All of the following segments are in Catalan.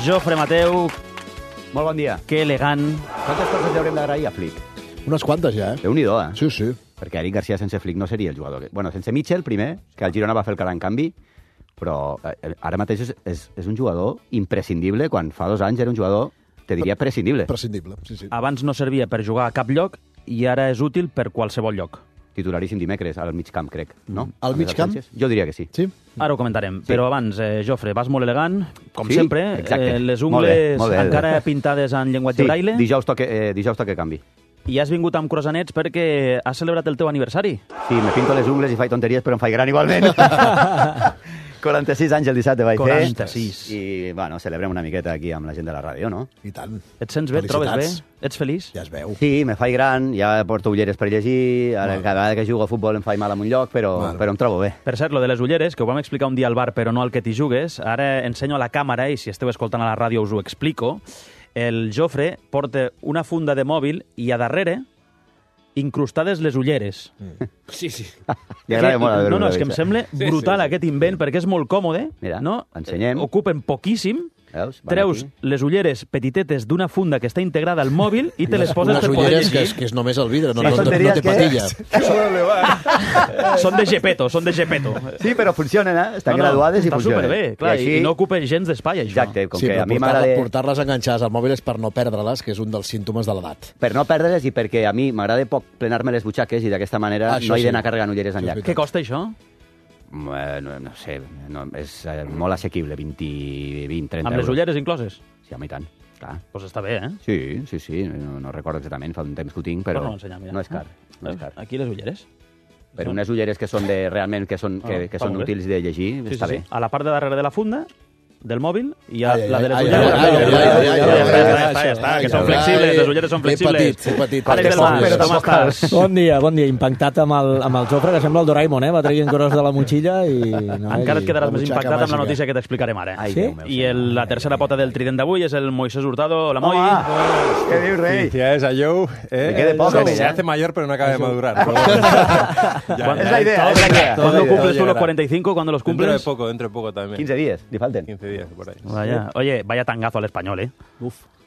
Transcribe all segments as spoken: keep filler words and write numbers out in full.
Jofre Mateu. Molt bon dia. Que elegant. Quantes coses li haurem d'agrair a Flick? Unes quantes ja, eh? Déu-n'hi-do, eh? Sí, sí. Perquè Eric Garcia sense Flick no seria el jugador. Que... Bueno, sense Mitchell, primer, que el Girona va fer el gran canvi, però eh, ara mateix és, és, és un jugador imprescindible, quan fa dos anys era un jugador, te diria, prescindible. Prescindible, sí, sí. Abans no servia per jugar a cap lloc i ara és útil per qualsevol lloc. Titularíssim dimecres, al mig camp, crec, no? Al mig camp? Jo diria que sí. Sí? Ara ho comentarem. Sí. Però abans, eh, Jofre, vas molt elegant, com sí? sempre. Exacte. Eh, les molt bé, ungles molt bé. encara pintades en llenguatge sí, braille. Dijous toque, eh, dijous toque canvi. I has vingut amb croissanets perquè has celebrat el teu aniversari. Sí, me pinto les ungles i faig tonteries, però em faig gran igualment. quaranta-sis anys el dissabte vaig quaranta-sis. fer. I, bueno, celebrem una miqueta aquí amb la gent de la ràdio, no? I tant. Et sents bé? Et trobes bé? Ets feliç? Ja es veu. Sí, me faig gran, ja porto ulleres per llegir, ara Bueno. cada vegada que jugo a futbol em faig mal en un lloc, però, Bueno. però em trobo bé. Per cert, lo de les ulleres, que ho vam explicar un dia al bar, però no al que t'hi jugues, ara ensenyo a la càmera, i si esteu escoltant a la ràdio us ho explico. El Jofre porta una funda de mòbil i a darrere incrustades les ulleres. Mm. Sí, sí. Li agrada molt a no, no, és que veure-ho, em sembla brutal sí, sí. aquest invent, perquè és molt còmode. Mira, no? ensenyem. Ocupen poquíssim. Veus? Van Treus aquí. les ulleres petitetes d'una funda que està integrada al mòbil i te les poses Unes per poder ulleres llegir. que és, que és només el vidre, no, Sí, no, no, no tonteries té que- patilla. Són de Gepetto, són de Gepetto. Sí, però funcionen, eh? Estan No, no, graduades i està funcionen. superbé, clar, i, així... i no ocupen gens d'espai, això. Exacte, com Sí, que però a mi portar- m'agrada... portar-les enganxades al mòbil és per no perdre-les, que és un dels símptomes de l'edat. Per no perdre-les i perquè a mi m'agrada poc plenar-me les butxaques i d'aquesta manera Ah, això no he sí. d'anar carregant ulleres Això és enlloc. veritat. Què costa això? Eh, No, no sé, no, és eh, molt assequible, vint, vint trenta Amb les euros. ulleres incloses? Sí, home, i tant. Clar. Doncs pues està bé, eh? Sí, sí, sí, no, no recordo exactament, fa un temps que ho tinc, però Torna-ho a ensenyar, mira. no és car. No és car. Aquí les ulleres. Per unes ulleres que són de, realment que són, que, Ah, que està són molt bé. útils de llegir, Sí, està sí, bé. sí. A la part de darrere de la funda del mòbil i a Ai, ai, la de les ai, ulleres. ai, ai, ai, ai, ai, ai, ai, Ja ai, està, ai, ja està, ja està, ai, que són ai, flexibles, ai, les ulleres són que flexibles. petit, que petit. Àlex del Mas, Però com tampoc estàs? Bon dia, bon dia. Impactat amb el, amb el Jofre, que sembla el Doraemon, eh? Va traient coses de la motxilla i... No, Encara et i- quedaràs la més butxaca impactat amb la màgica. notícia que t'explicarem ara. Ai, Sí? Déu meu, I senyor. el, la tercera pota del trident d'avui és el Moisés Hurtado. Hola, Moi. Home, què dius, rei? Felicidades a Joe. Eh? Me quede poco, se, se ¿eh? hace mayor, pero no acaba de madurar. Pero bueno. Ya, Es ya, la idea, es la idea. todo ¿Cuándo llegará, cumples todo tú los llegará. cuarenta y cinco? ¿Cuándo los Dentro de cumples? poco, dentro de poco también. quinze dies, li falten. quince días, por ahí. Vaya. Oye, vaya tangazo al español, ¿eh?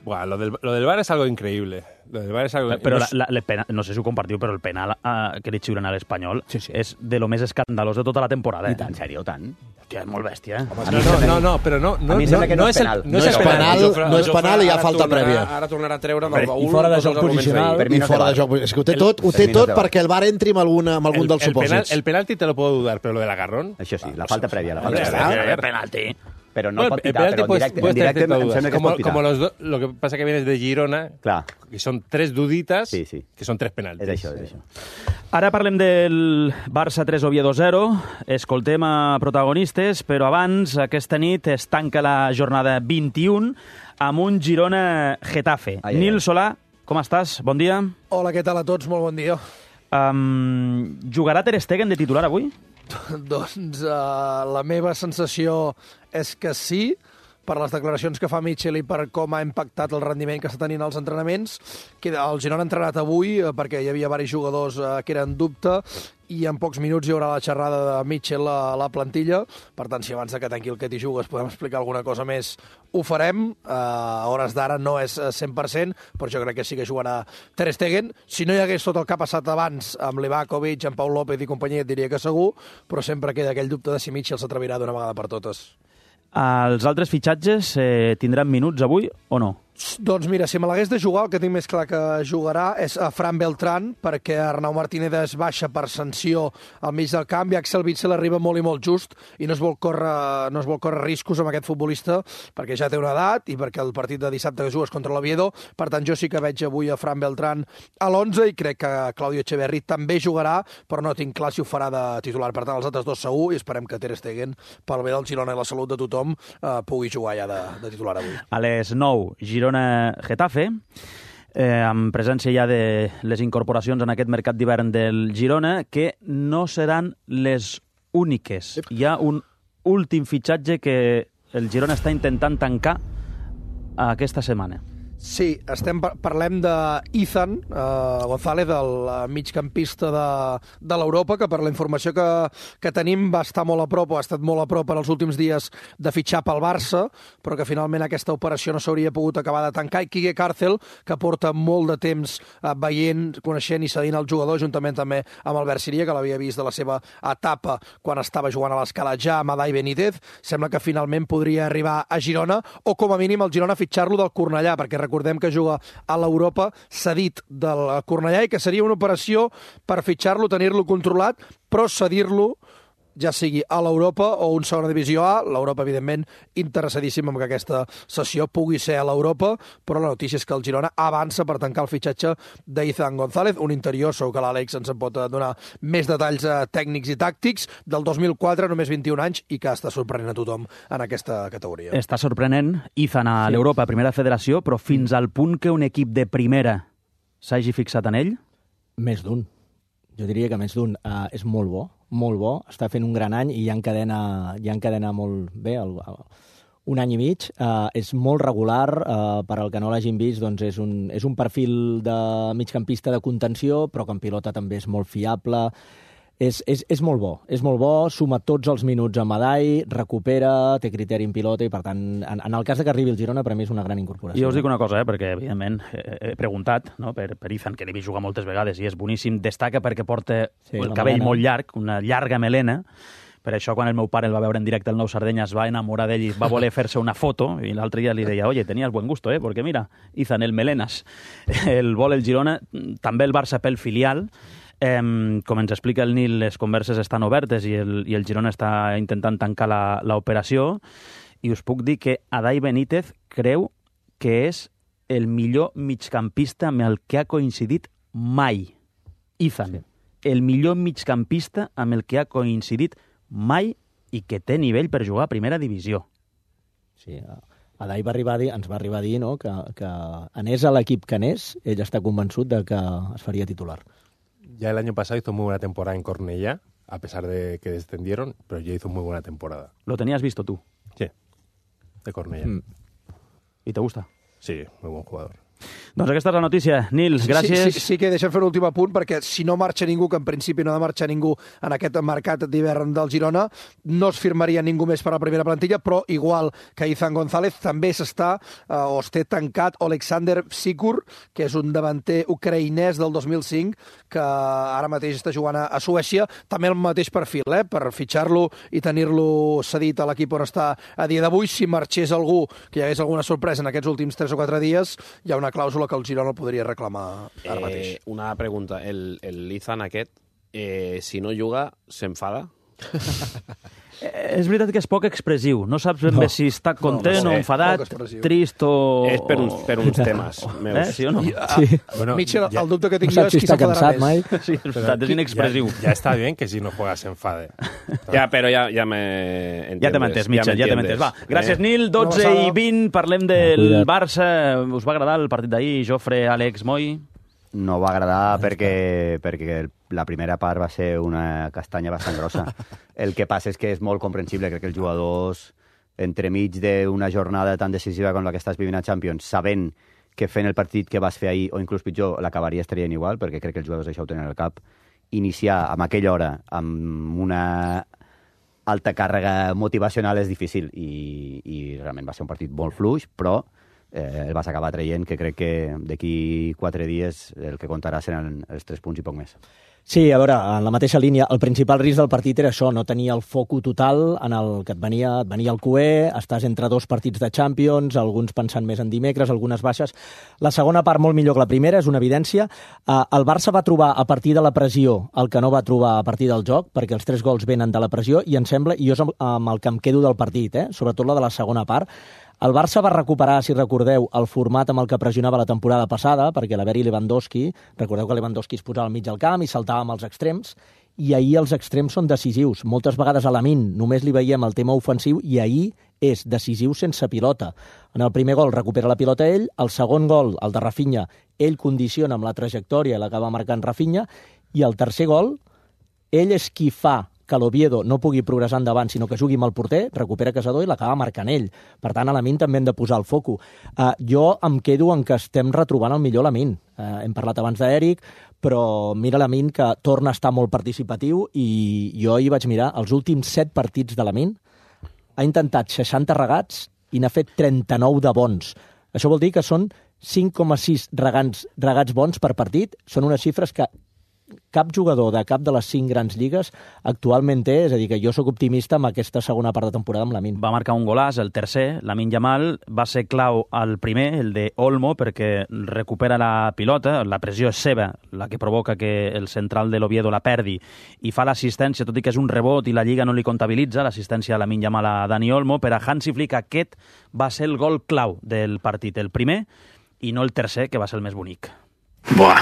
Buah, lo del, lo del bar es algo increíble. Lo del bar es algo Però no la, es- la, la pena, no sé si ho compartiu, però el penal uh, que li xiuren a l'Espanyol Sí, sí. és de lo més escandalós de tota la temporada. Eh? En sèrio, tant? Hòstia, és molt bèstia, eh? No, no, no, no, però no, no, A mi em no, sembla que no no és és el, penal. no és No el és penal. penal, Jofre- no és Jofre penal i hi ha ara falta tornarà- prèvia. Ara tornarà a treure del I baúl fora de tots joc els arguments posicional. d'ahir. Per mi I no té fora de bar. joc. És que ho té tot, ho té per mi no tot té bar. perquè el bar entri amb, alguna, amb algun El, dels el, penal, supòsits. el penalti te lo puedo dudar, pero lo del agarrón... Això sí, la falta prèvia, la falta Hombre, prèvia. a ver, a ver. penalti. Però no Bueno, pot el pitar, penalti però en puedes- directe, en puedes tener directe ciertas em dudas. sembla que es como, pot pitar. como los do- lo que pasa que vienes de Girona, Clar, que son tres duditas, Sí, sí. que son tres penaltis. és això, és això. Ara parlem del Barça tres Oviedo zero. Escoltem a protagonistes, però abans, aquesta nit, es tanca la jornada vint-i-u amb un Girona-Getafe. Ai, ai, Nil ai. Solà, com estàs? Bon dia. Hola, què tal a tots? Molt bon dia. Um, jugarà Ter Stegen de titular avui? Doncs uh, la meva sensació és que sí, per les declaracions que fa Mitchell i per com ha impactat el rendiment que està tenint als entrenaments. Que el Girona ha entrenat avui eh, perquè hi havia diversos jugadors eh, que eren en dubte i en pocs minuts hi haurà la xerrada de Mitchell a la plantilla. Per tant, si abans de que tanqui el que t'hi jugues podem explicar alguna cosa més, ho farem. Uh, a hores d'ara no és cent per cent, però jo crec que sí que jugarà Ter Stegen. Si no hi hagués tot el que ha passat abans amb Livakovic, amb Pau López i companyia, et diria que segur, però sempre queda aquell dubte de si Mitchell s'atrevirà d'una vegada per totes. Els altres fitxatges eh, tindran minuts avui o no? Doncs mira, si me l'hagués de jugar, el que tinc més clar que jugarà és a Fran Beltrán, perquè Arnau Martínez es baixa per sanció al mig del camp i Axel Witsel arriba molt i molt just i no es vol córrer, no es vol córrer riscos amb aquest futbolista perquè ja té una edat i perquè el partit de dissabte que jugues contra l'Oviedo. Per tant, jo sí que veig avui a Fran Beltrán a l'onze i crec que Claudio Echeverri també jugarà, però no tinc clar si ho farà de titular. Per tant, els altres dos segur i esperem que Ter Stegen, pel bé del Girona i la salut de tothom, eh, pugui jugar ja de, de titular avui. A les nou, Girona-Getafe, eh, amb presència ja de les incorporacions en aquest mercat d'hivern del Girona, que no seran les úniques. Hi ha un últim fitxatge que el Girona està intentant tancar aquesta setmana. Sí, estem, parlem d'Ethan uh, González, el migcampista de, de l'Europa, que per la informació que, que tenim va estar molt a prop, o ha estat molt a prop en els últims dies de fitxar pel Barça, però que finalment aquesta operació no s'hauria pogut acabar de tancar. I Quique Càrcel, que porta molt de temps uh, veient, coneixent i cedint el jugador, juntament també amb Albert Siria, que l'havia vist de la seva etapa quan estava jugant a l'Escala ja amb Adai Benítez, sembla que finalment podria arribar a Girona, o com a mínim el Girona fitxar-lo del Cornellà, perquè recordem que juga a l'Europa cedit del Cornellà i que seria una operació per fitxar-lo, tenir-lo controlat, però cedir-lo ja sigui a l'Europa o un segona divisió A. L'Europa, evidentment, interessadíssim en que aquesta sessió pugui ser a l'Europa, però la notícia és que el Girona avança per tancar el fitxatge d'Ethan González, un interior, segur que l'Àlex ens en pot donar més detalls eh, tècnics i tàctics, del dos mil quatre, només vint-i-un anys, i que està sorprenent a tothom en aquesta categoria. Està sorprenent Ethan a sí. l'Europa, primera federació, però fins al punt que un equip de primera s'hagi fixat en ell? Més d'un. Jo diria que més d'un. Uh, és molt bo, molt bo. Està fent un gran any i ja encadena, ja encadena molt bé, el, el, un any i mig. Uh, és molt regular, uh, per al que no l'hagin vist, doncs és un, és un perfil de migcampista de contenció, però que en pilota també és molt fiable. És, és, és molt bo, és molt bo, suma tots els minuts a Madai, recupera, té criteri en pilota i, per tant, en, en el cas de que arribi el Girona, per a mi és una gran incorporació. Jo us dic una cosa, eh, perquè, evidentment, he preguntat, no, per, per Ethan, que l'he vist jugar moltes vegades i és boníssim, destaca perquè porta sí, el cabell melena. Molt llarg, una llarga melena. Per això, quan el meu pare el va veure en directe al Nou Sardenya, es va enamorar d'ell i va voler fer-se una foto, i l'altre dia li deia, oye, tenías buen gusto, eh, porque mira, Ethan, el melenas. El vol el Girona, també el Barça pel filial. Eh, com ens explica el Nil, les converses estan obertes i el, i el Girona està intentant tancar l'operació, i us puc dir que Adai Benítez creu que és el millor migcampista amb el que ha coincidit mai. Ethan, sí. El millor migcampista amb el que ha coincidit mai i que té nivell per jugar a primera divisió. Sí, Adai va arribar a dir, ens va arribar a dir, no, que, que anés a l'equip que anés, ell està convençut de que es faria titular. Ya el año pasado hizo muy buena temporada en Cornellá, a pesar de que descendieron, pero ya hizo muy buena temporada. ¿Lo tenías visto tú? Sí, de Cornellá. Mm. ¿Y te gusta? Sí, muy buen jugador. Doncs aquesta és la notícia. Nils, gràcies. Sí, sí, sí que deixem fer un últim apunt, perquè si no marxa ningú, que en principi no ha de marxar ningú en aquest mercat d'hivern del Girona, no es firmaria ningú més per a la primera plantilla, però igual que Ethan González, també s'està, eh, o es té tancat Oleksandr Sikur, que és un davanter ucraïnès del dos mil cinc, que ara mateix està jugant a, a Suècia, també el mateix perfil, eh, per fitxar-lo i tenir-lo cedit a l'equip on està a dia d'avui. Si marxés algú, que hi hagués alguna sorpresa en aquests últims tres o quatre dies, hi ha una clàusula que el Girona podria reclamar ara mateix. Eh, una pregunta. El, el Ethan aquest, eh, si no juga, s'enfada? Eh, és veritat que és poc expressiu. No saps ben bé no. si està content no, no sé. o enfadat, trist o... És per uns, per uns temes meus. Eh? Sí o no? I, ah, sí. Bueno, Mitchell, ja, el dubte que tinc no jo és si qui s'enfadarà més. Mai. Sí, és veritat, és inexpressiu. Ya, ya está bien que si no juega se enfade. Ja, però ja, ja me entiendes. Ja te m'entens, Mitchell, ja te m'entens. Va, gràcies, eh? Nil. dotze i vint, parlem del Barça. Us va agradar el partit d'ahir? Jofre, Àlex, Moi? No va agradar perquè, perquè la primera part va ser una castanya bastant grossa. El que passa és que és molt comprensible. Crec que els jugadors, entremig d'una jornada tan decisiva com la que estàs vivint a Champions, sabent que fent el partit que vas fer ahir, o inclús pitjor, l'acabaries traient igual, perquè crec que els jugadors això ho tenen al cap, iniciar amb aquella hora amb una alta càrrega motivacional és difícil, i, i realment va ser un partit molt fluix, però eh, el vas acabar traient, que crec que d'aquí quatre dies el que comptarà seran els tres punts i poc més. Sí, a veure, en la mateixa línia, el principal risc del partit era això, no tenir el foco total en el que et venia, et venia el Q E, estàs entre dos partits de Champions, alguns pensant més en dimecres, algunes baixes. La segona part molt millor que la primera, és una evidència. El Barça va trobar a partir de la pressió el que no va trobar a partir del joc, perquè els tres gols venen de la pressió, i em sembla, i jo és amb el que em quedo del partit, eh? Sobretot la de la segona part. El Barça va recuperar, si recordeu, el format amb el que pressionava la temporada passada, perquè l'haver-hi Lewandowski, recordeu que Lewandowski es posava al mig del camp i saltava amb els extrems, i ahir els extrems són decisius. Moltes vegades a Lamine només li veiem el tema ofensiu, i ahir és decisiu sense pilota. En el primer gol recupera la pilota ell, el segon gol, el de Rafinha, ell condiciona amb la trajectòria, l'acaba marcant Rafinha, i el tercer gol, ell és qui fa que l'Oviedo no pugui progressar endavant, sinó que jugui amb el porter, recupera Caçador i l'acaba marcant ell. Per tant, a Lamine també hem de posar el foco. Uh, jo em quedo en que estem retrobant el millor Lamine. Uh, hem parlat abans d'Eric, però mira Lamine que torna a estar molt participatiu i jo hi vaig mirar els últims set partits de Lamine, ha intentat seixanta regats i n'ha fet trenta-nou de bons. Això vol dir que són cinc coma sis regats, regats bons per partit. Són unes xifres que cap jugador de cap de les cinc grans lligues actualment té, és a dir, que jo sóc optimista amb aquesta segona part de temporada amb Lamine. Va marcar un golàs, el tercer, Lamine Yamal, va ser clau al primer, el de Olmo, perquè recupera la pilota, la pressió és seva, la que provoca que el central de l'Oviedo la perdi, i fa l'assistència, tot i que és un rebot i la Lliga no li comptabilitza, l'assistència a Lamine Yamal a Dani Olmo. Per a Hansi Flick aquest va ser el gol clau del partit, el primer, i no el tercer, que va ser el més bonic. Buah,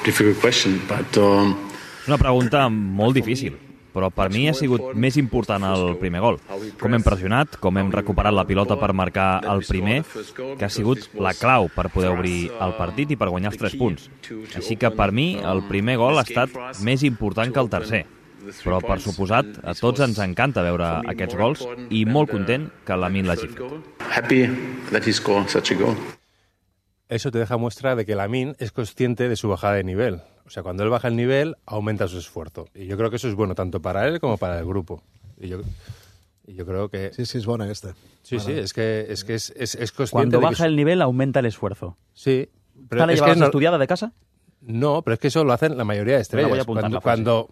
difficult question, but... Um... És una pregunta molt difícil, però per mi ha sigut més important el primer gol. Com hem pressionat, com hem recuperat la pilota per marcar el primer, que ha sigut la clau per poder obrir el partit i per guanyar els tres punts. Així que per mi el primer gol ha estat més important que el tercer. Però, per suposat, a tots ens encanta veure aquests gols i molt content que Lamine l'hagi fet. Happy that he scored such a goal. Eso te deja muestra de que Lamine es consciente de su bajada de nivel. O sea, cuando él baja el nivel, aumenta su esfuerzo. Y yo creo que eso es bueno tanto para él como para el grupo. Y yo, y yo creo que... Sí, sí, es bona aquesta. Sí, Vale. sí, es que es, que es, es, es consciente Cuando de baja que... el nivel, aumenta el esfuerzo. Sí. ¿Esta la es llevabas que no... estudiada de casa? No, pero es que eso lo hacen la mayoría de estrellas. Me la voy a apuntar cuando, la frase. cuando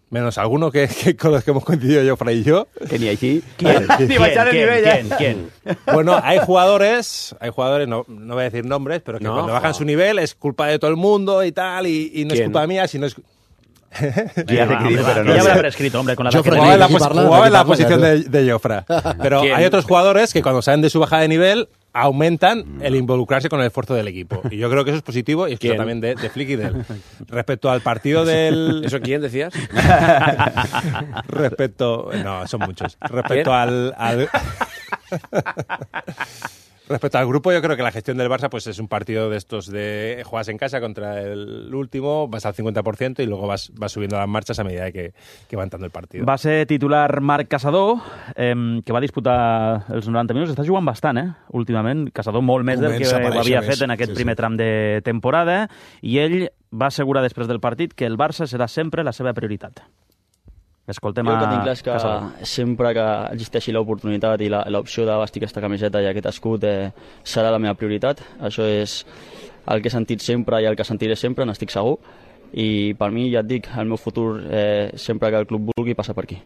menos alguno que, que con los que hemos coincidido yo, Fray y yo. Que ni així. ¿Quién? Ni baixar el ¿Quién? nivell, eh? ¿Quién? ¿Quién? Bueno, hay jugadores, hay jugadores, no, no voy a decir nombres, pero que No, cuando bajan no. su nivel es culpa de todo el mundo y tal, y, y no es ¿Quién? culpa mía, sino es... Qui ha de dir, però Que no ya habrá sé. prescrito, hombre, con la Jofre, edad que Jugaba en la, Aquí pos- parla, jugaba aquí en la parla, posición ja. de, de Jofra. Pero ¿Quién? hay otros jugadores que cuando salen de su bajada de nivel aumentan el involucrarse con el esfuerzo del equipo. Y yo creo que eso es positivo y es ¿Quién? también de, de Flick y de él. Respecto al partido del... ¿Eso quién decías? Respecto... No, son muchos. Respecto ¿Quién? al... al... Respecto al grupo, yo creo que la gestión del Barça pues es un partido de estos de juegas en casa contra el último, vas al cincuenta por ciento y luego vas, vas subiendo las marchas a medida que, que va entrando el partido. Va ser titular Marc Caçador, eh, que va disputar els noranta minuts. Està jugant bastant, eh, últimament. Caçador molt més del que Comença a aparèixer havia més. fet en aquest Sí, sí. primer tram de temporada, i ell va assegurar després del partit que el Barça serà sempre la seva prioritat. Escoltem Jo el que a tinc clar és que Caçador. sempre que existeixi l'oportunitat i la- l'opció de vestir aquesta camiseta i aquest escut eh, serà la meva prioritat. Això és el que he sentit sempre i el que sentiré sempre, n'estic segur. I per mi, ja et dic, el meu futur, eh, sempre que el club vulgui, passa per aquí.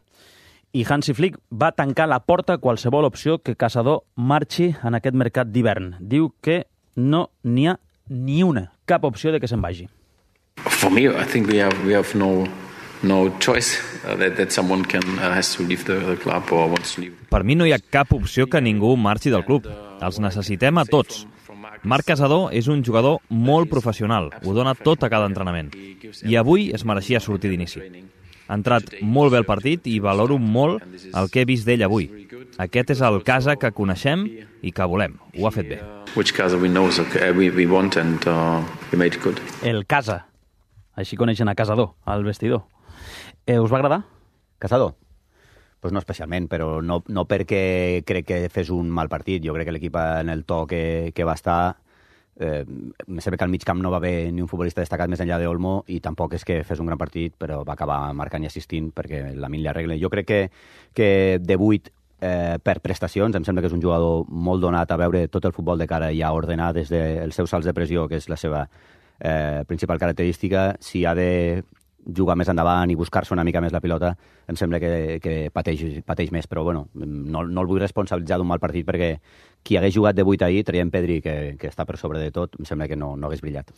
I Hansi Flick va tancar la porta a qualsevol opció que Caçador marxi en aquest mercat d'hivern. Diu que no n'hi ha ni una, cap opció de que se'n vagi. For me, I think we have we have no no choice uh, that that someone can uh, has to leave the, the club or wants to leave. Per mi no hi ha cap opció que ningú marxi del club. Els necessitem a tots. Marc Caçador és un jugador molt professional, ho dona tot a cada entrenament. I avui es mereixia sortir d'inici. Ha entrat molt bé el partit i valoro molt el que he vist d'ell avui. Aquest és el Casa que coneixem i que volem. Ho ha fet bé. Which Casa we know so, uh, we we want and uh, we made it good. El Casa. Així coneixen a Caçador, al vestidor. Eh, us va agradar? Caçador? Pues no especialment, però no, no perquè crec que fes un mal partit. Jo crec que l'equip en el to que, que va estar... Eh, me sembla que al mig camp no va haver ni un futbolista destacat més enllà d'Olmo i tampoc és que fes un gran partit, però va acabar marcant i assistint perquè la Min li arregla. Jo crec que, que de vuit eh, per prestacions, em sembla que és un jugador molt donat a veure tot el futbol de cara i a ordenar des dels seus salts de pressió, que és la seva eh, principal característica. Si ha de jugar més endavant i buscar-se una mica més la pilota, em sembla que, que pateix, pateix més, però bueno, no, no el vull responsabilitzar d'un mal partit perquè qui hagués jugat de vuit ahir, traient Pedri, que, que està per sobre de tot, em sembla que no, no hagués brillat.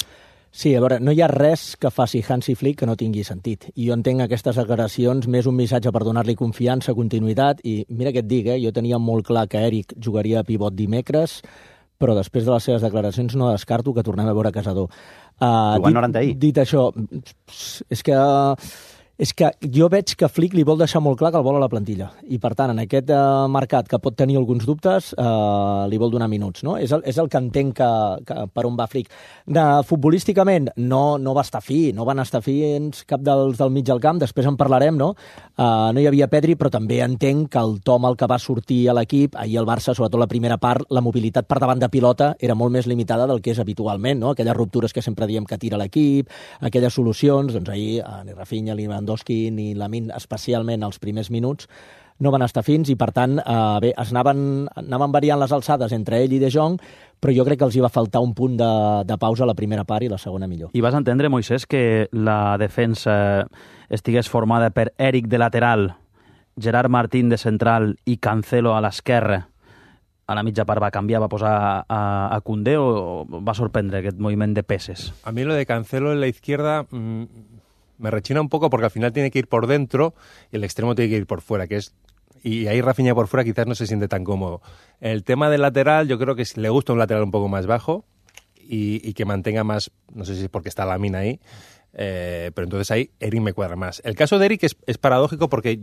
Sí, a veure, no hi ha res que faci Hansi Flick que no tingui sentit. I jo entenc aquestes declaracions més un missatge per donar-li confiança, continuïtat, i mira què et dic, eh? Jo tenia molt clar que Eric jugaria a pivot dimecres, però després de les seves declaracions no descarto que tornem a veure Caçador. Uh, Jugant noranta ahir. Dit això, és que uh, És que jo veig que Flick li vol deixar molt clar que el vol a la plantilla. I, per tant, en aquest eh, mercat que pot tenir alguns dubtes, eh, li vol donar minuts. No? És, el, és el que entenc que, que per on va Flick. De, futbolísticament, no, no va estar fi, no van estar fins cap dels del mig del camp, després en parlarem, no? Eh, no hi havia Pedri, però també entenc que el to amb el que va sortir a l'equip, ahir el Barça, sobretot la primera part, la mobilitat per davant de pilota era molt més limitada del que és habitualment, no? Aquelles ruptures que sempre diem que tira l'equip, aquelles solucions, doncs ahir eh, ni Rafinha, ni Lewandowski ni Lamine, especialment els primers minuts, no van estar fins i, per tant, eh, bé, es anaven, anaven variant les alçades entre ell i De Jong, però jo crec que els hi va faltar un punt de, de pausa a la primera part i la segona millor. I vas entendre, Moisés, que la defensa estigués formada per Eric de lateral, Gerard Martín de central i Cancelo a l'esquerra? A la mitja part va canviar, va posar a, a Koundé, o va sorprendre aquest moviment de peces? A mí lo de Cancelo en la izquierda mmm, me rechina un poco porque al final tiene que ir por dentro y el extremo tiene que ir por fuera, que es y ahí Rafinha por fuera quizás no se siente tan cómodo. El tema del lateral, yo creo que le gusta un lateral un poco más bajo y, y que mantenga más, no sé si es porque está Lamine ahí, eh, pero entonces ahí Eric me cuadra más. El caso de Eric es, es paradójico porque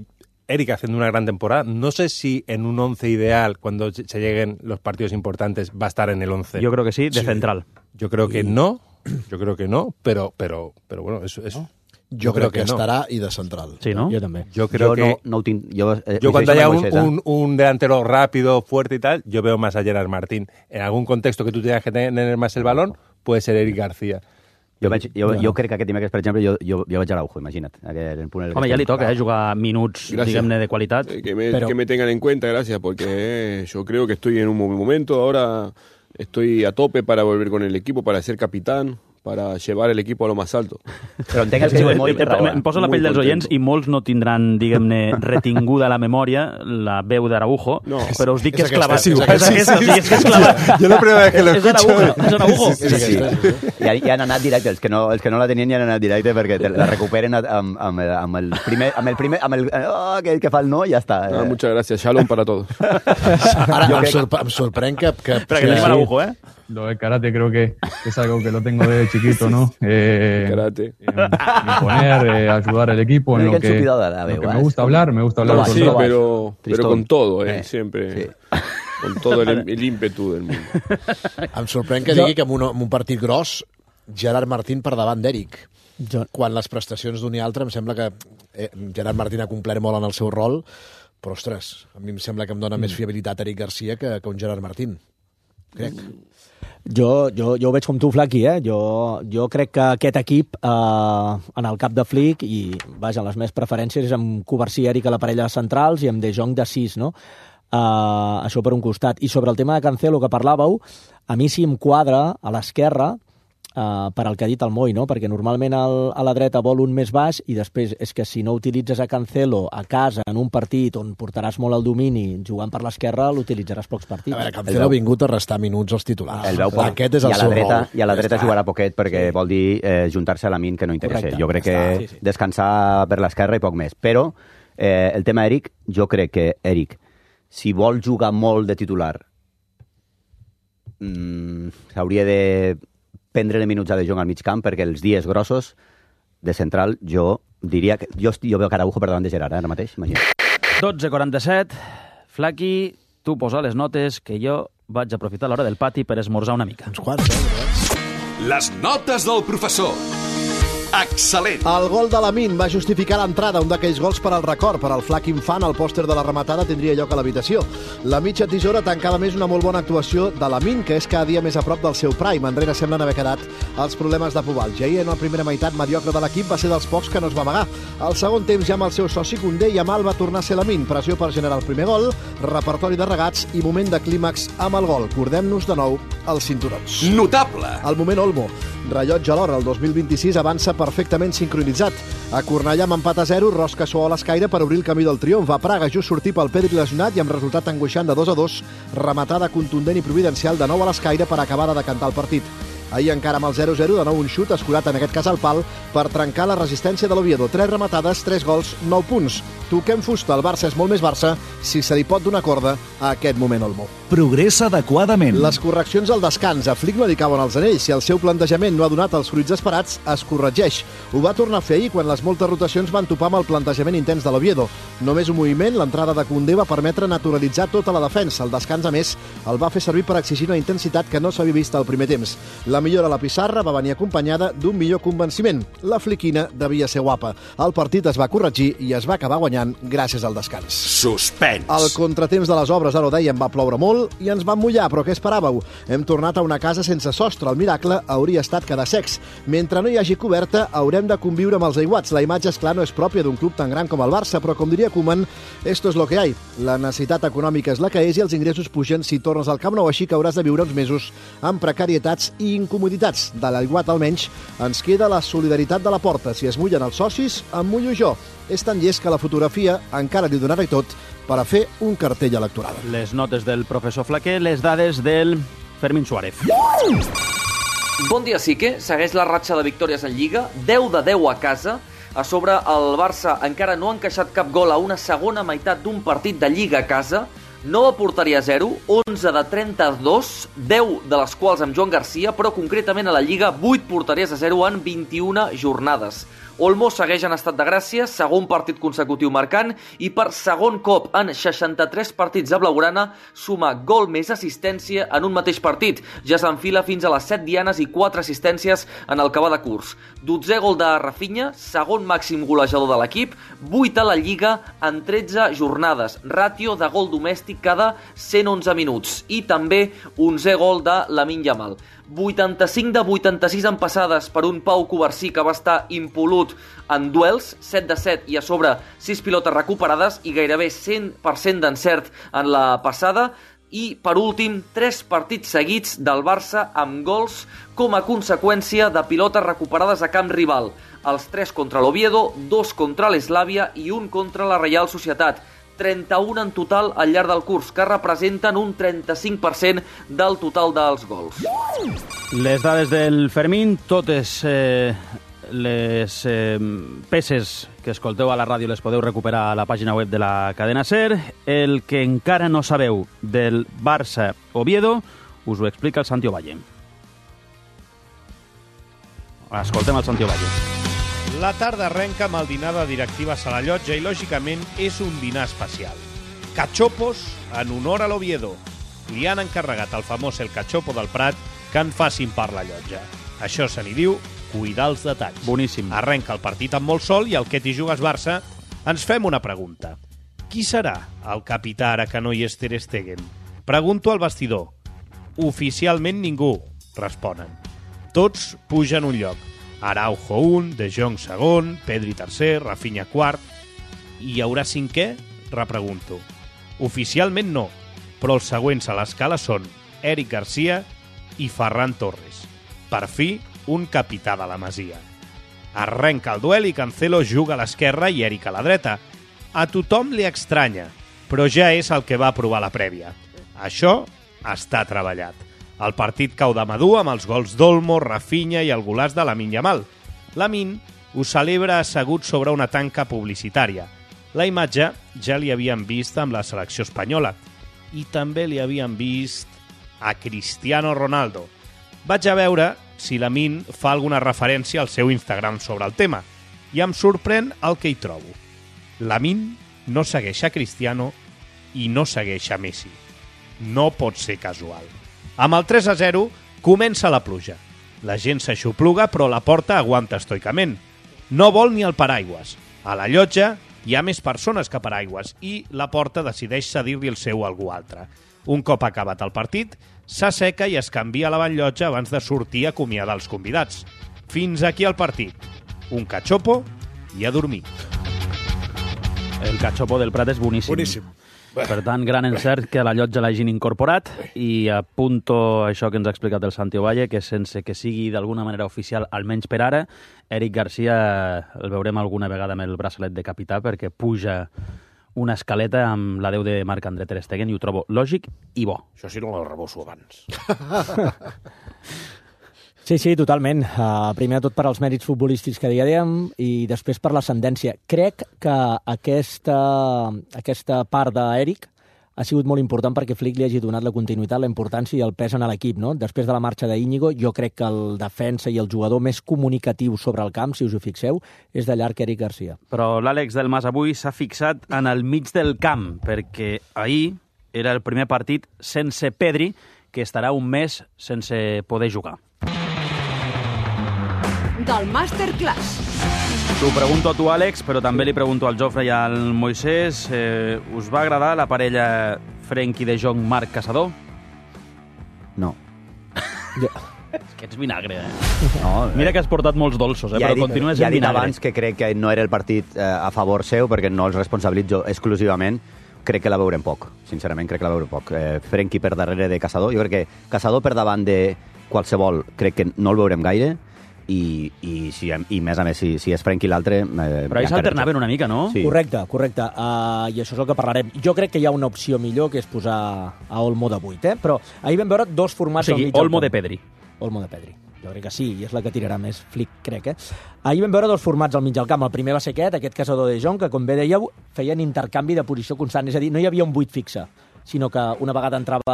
Eric haciendo una gran temporada, no sé si en un once ideal, cuando se lleguen los partidos importantes, va a estar en el once. Yo creo que sí, de sí. central. Yo creo que no, yo creo que no, pero, pero, pero bueno, eso es... ¿No? Jo, jo crec que, que no. Estarà i de central. Sí, ¿no? Jo també. Yo creo yo que... No, no tinc, yo, eh, yo cuando haya un, un, un delantero rápido, fuerte y tal, yo veo más a Gerard Martín. En algún contexto que tú tengas que tener más el balón, puede ser Eric García. Jo, veig, jo, jo crec que aquest dimecres, per exemple, jo, jo, jo vaig a Araujo, imagina't. En el punt Home, ja li toca eh, jugar minuts, diguem-ne, de qualitat. Eh, que, me, pero... que me tengan en cuenta, gracias, porque eh, yo creo que estoy en un momento, ahora estoy a tope para volver con el equipo, para ser capitán, para llevar el equipo a lo más alto. Però entenc que sí, molt raó. Em poso la pell dels oients i molts no tindran, diguem-ne, retinguda a la memòria la veu d'Araujo, no, però us dic que és clavat. És aquesta, sí, sí, sí, és clavat. Jo la primera vez que lo escucho... És Araujo. Sí, sí, sí. I, I han anat directe, els que no, els que no la tenien ja han anat directe perquè la recuperen amb, amb, amb el primer... Amb el primer amb el, oh, aquell que fa el no, ja està. Ah, muchas gracias, shalom para todos. Ara em, sorpre em sorprèn que... que Espera, que tenim Araujo, eh? Lo del karate creo que es algo que lo tengo desde chiquito, ¿no? Eh, karate. Imponer, eh, ayudar al equipo en lo que, lo que me gusta hablar, me gusta hablar no, con sí, todo. Pero, pero con todo, eh, eh siempre. Sí. Con todo el, el ímpetu del mundo. Em sorprèn que digui que en un, en un partit gros Gerard Martín per davant d'Eric. Quan les prestacions d'un i altre em sembla que eh, Gerard Martín ha complert molt en el seu rol, però, ostres, a mi em sembla que em dona mm. més fiabilitat Eric Garcia que, que un Gerard Martín. Crec. Jo, jo, jo ho veig com tu, Flaqui, eh? Jo, jo crec que aquest equip, eh, en el cap de Flick, i vaja, les meves preferències és amb Covarsí i Eric a la parella de centrals i amb De Jong de sis, no? Uh, això per un costat. I sobre el tema de Cancelo que parlàveu, a mi sí em quadra a l'esquerra, Uh, per al que ha dit el Moi, no? Perquè normalment el, a la dreta vol un més baix i després és que si no utilitzes a Cancelo a casa en un partit on portaràs molt el domini jugant per l'esquerra, l'utilitzaràs pocs partits. A veure, Cancelo ha vingut a restar minuts als titulars. El veu poc. Aquest és el seu rol. I a la dreta jugarà poquet perquè sí. vol dir eh, juntar-se a la min que no interessa. Correcte. Jo crec que sí, sí. descansar per l'esquerra i poc més. Però eh, el tema Eric, jo crec que Eric, si vol jugar molt de titular, mmm, s'hauria de prendre minuts a De Jong al mig camp, perquè els dies grossos de central jo diria que... Jo, jo veu Araujo per davant de Gerard, eh, ara mateix, imagina. dotze quaranta-set, Flaqui, tu posa les notes que jo vaig aprofitar l'hora del pati per esmorzar una mica. Uns quants, eh? Les notes del professor. Excel·lent. El gol de Lamine va justificar l'entrada, un d'aquells gols per al record. Per al flac infant, el pòster de la rematada tindria lloc a l'habitació. La mitja tisora tancava més una molt bona actuació de Lamine, que és cada dia més a prop del seu prime. Enrere semblen haver quedat els problemes de Pubal. Ja ahir, en la primera meitat mediocre de l'equip, va ser dels pocs que no es va amagar. Al segon temps, ja amb el seu soci Koundé, Yamal va tornar a ser Lamine. Pressió per generar el primer gol, repertori de regats i moment de clímax amb el gol. Cordem-nos de nou els cinturons. Notable. El moment Olmo. Rellotge a l'hora, el dos mil vint-i-sis avança perfectament sincronitzat. A Cornellà amb empat a zero, Rosca suau a l'escaire per obrir el camí del triomf. A Praga, just sortir pel Pedri lesionat i amb resultat angoixant de dos a dos, rematada contundent i providencial de nou a l'escaire per acabar de decantar el partit. Ahir encara amb el zero zero, de nou un xut escurat en aquest cas al pal per trencar la resistència de l'Oviedo. Tres rematades, tres gols, nou punts. Toquem fusta, el Barça és molt més Barça si se li pot donar corda a aquest moment Olmo. Progressa adequadament. Les correccions al descans. A Flick no li cauen els anells. Si el seu plantejament no ha donat els fruits esperats, es corregeix. Ho va tornar a fer ahir quan les moltes rotacions van topar amb el plantejament intens de l'Oviedo. Només un moviment, l'entrada de Koundé va permetre naturalitzar tota la defensa. El descans, a més, el va fer servir per exigir una intensitat que no s'havia vist al primer temps. La millora a la pissarra va venir acompanyada d'un millor convenciment. La fliquina devia ser guapa. El partit es va corregir i es va acabar guanyant gràcies al descans. Suspens. El contratemps de les obres, ara ho dèiem, va ploure molt i ens van mullar, però què esperàveu? Hem tornat a una casa sense sostre. El miracle hauria estat quedar secs. Mentre no hi hagi coberta, haurem de conviure amb els aiguats. La imatge, esclar, no és pròpia d'un club tan gran com el Barça, però com diria Koeman, esto es lo que hay. La necessitat econòmica és la que és i els ingressos pugen si tornes al Camp Nou, així que hauràs de viure uns mesos amb precarietats i incomoditats. De l'aiguat, almenys, ens queda la solidaritat de la porta. Si es mullen els socis, em mullo jo. És tan llest que la fotografia encara li donarà tot per a fer un cartell electoral. Les notes del professor Flaquer, les dades del Fermín Suárez. Bon dia, Sique. Segueix la ratxa de victòries en Lliga, deu de deu a casa. A sobre, el Barça encara no ha encaixat cap gol a una segona meitat d'un partit de Lliga a casa. Nova porteria zero, onze de trenta-dos, deu de les quals amb Joan Garcia, però concretament a la Lliga, vuit porteries a zero en vint-i-una jornades. Olmo segueix en estat de gràcia, segon partit consecutiu marcant, i per segon cop en seixanta-tres partits de blaugrana suma gol més assistència en un mateix partit. Ja s'enfila fins a les set dianes i quatre assistències en el que va de curs. dotzè gol de Rafinha, segon màxim golejador de l'equip, vuit a la Lliga en tretze jornades. Ràtio de gol domèstic cada cent onze minuts. I també onzè gol de Lamine Yamal. vuitanta-cinc de vuitanta-sis en passades per un Pau Covarsí que va estar impolut en duels, set de set i a sobre sis pilotes recuperades i gairebé cent per cent d'encert en la passada. I, per últim, tres partits seguits del Barça amb gols com a conseqüència de pilotes recuperades a camp rival. Els tres contra l'Oviedo, dos contra l'Eslàvia i un contra la Reial Societat. trenta-un en total al llarg del curs, que representen un trenta-cinc per cent del total dels gols. Les dades del Fermín, totes eh, les eh, peces que escolteu a la ràdio les podeu recuperar a la pàgina web de la cadena SER. El que encara no sabeu del Barça-Oviedo us ho explica el Santi Ovalle. Escoltem el Santi Ovalle. La tarda arrenca amb el dinar de directives a la llotja i, lògicament, és un dinar especial. Cachopos en honor a l'Oviedo. Li han encarregat al famós El Cachopo del Prat que en facin per la llotja. Això se n'hi diu cuidar els detalls. Boníssim. Arrenca el partit amb molt sol i al que t'hi jugues Barça ens fem una pregunta. Qui serà el capità ara que no hi és Ter Stegen? Pregunto al vestidor. Oficialment ningú, responen. Tots pugen un lloc. Araujo un, De Jong segon, Pedri tercer, Rafinha quart. I hi haurà cinquè? Repregunto. Oficialment no, però els següents a l'escala són Eric Garcia i Ferran Torres. Per fi, un capità de la Masia. Arrenca el duel i Cancelo juga a l'esquerra i Eric a la dreta. A tothom li estranya, però ja és el que va aprovar la prèvia. Això està treballat. El partit cau de madur amb els gols d'Olmo, Rafinha i el golaç de Lamine Yamal. Lamine ho celebra assegut sobre una tanca publicitària. La imatge ja li havien vist amb la selecció espanyola i també li havien vist a Cristiano Ronaldo. Vaig a veure si Lamine fa alguna referència al seu Instagram sobre el tema i em sorprèn el que hi trobo. Lamine no segueix a Cristiano i no segueix a Messi. No pot ser casual. Amb el tres a zero comença la pluja. La gent s'aixopluga, però la porta aguanta estoicament. No vol ni el paraigües. A la llotja hi ha més persones que paraigües i la porta decideix cedir-li el seu a algú altre. Un cop acabat el partit, s'asseca i es canvia a la banllotja abans de sortir a acomiadar els convidats. Fins aquí el partit. Un cachopo i a dormir. El cachopo del Prat és boníssim. Boníssim. Per tant, gran encert que a la llotja l'hagin incorporat i apunto això que ens ha explicat el Santi Ovalle, que sense que sigui d'alguna manera oficial, almenys per ara, Eric Garcia el veurem alguna vegada amb el braçalet de capità perquè puja una escaleta amb la deu de Marc-André Ter Stegen i ho trobo lògic i bo. Això sí no la rebosso abans. Sí, sí, totalment. Uh, primer de tot per als mèrits futbolístics que dèiem i després per l'ascendència. Crec que aquesta, aquesta part d'Eric ha sigut molt important perquè Flick li hagi donat la continuïtat, la importància i el pes en l'equip, no? Després de la marxa d'Íñigo, jo crec que el defensa i el jugador més comunicatiu sobre el camp, si us ho fixeu, és de llarg Eric Garcia. Però l'Àlex del Mas avui s'ha fixat en el mig del camp, perquè ahir era el primer partit sense Pedri, que estarà un mes sense poder jugar. Del Masterclass. T'ho pregunto a tu, Àlex, però també li pregunto al Jofre i al Moisès. Eh, us va agradar la parella Frenkie de Jong, Marc Caçador? No. Jo... És que ets vinagre, eh? No, Mira que has portat molts dolços, eh? ja però dit, continues ja en he dit vinagre. abans que crec que no era el partit eh, a favor seu, perquè no els responsabilitzo exclusivament. Crec que la veurem poc, sincerament, crec que la veurem poc. Eh, Frenkie per darrere de Caçador. Jo crec que Caçador per davant de qualsevol crec que no el veurem gaire. I, i, si, i més a més, si, si és Frenkie l'altre... Eh, Però ahir s'alternaven una mica, no? Sí. Correcte, correcte. Uh, I això és el que parlarem. Jo crec que hi ha una opció millor, que és posar a Olmo de vuit, eh? Però ahir vam veure dos formats... O sigui, al mig Olmo de Pedri. Olmo de Pedri. Jo crec que sí, i és la que tirarà més Flick, crec, eh? Ahir vam veure dos formats al mig del camp. El primer va ser aquest, aquest Caçador de Jong, que, com bé dèieu, feien intercanvi de posició constant. És a dir, no hi havia un vuit fixe, sinó que una vegada entrava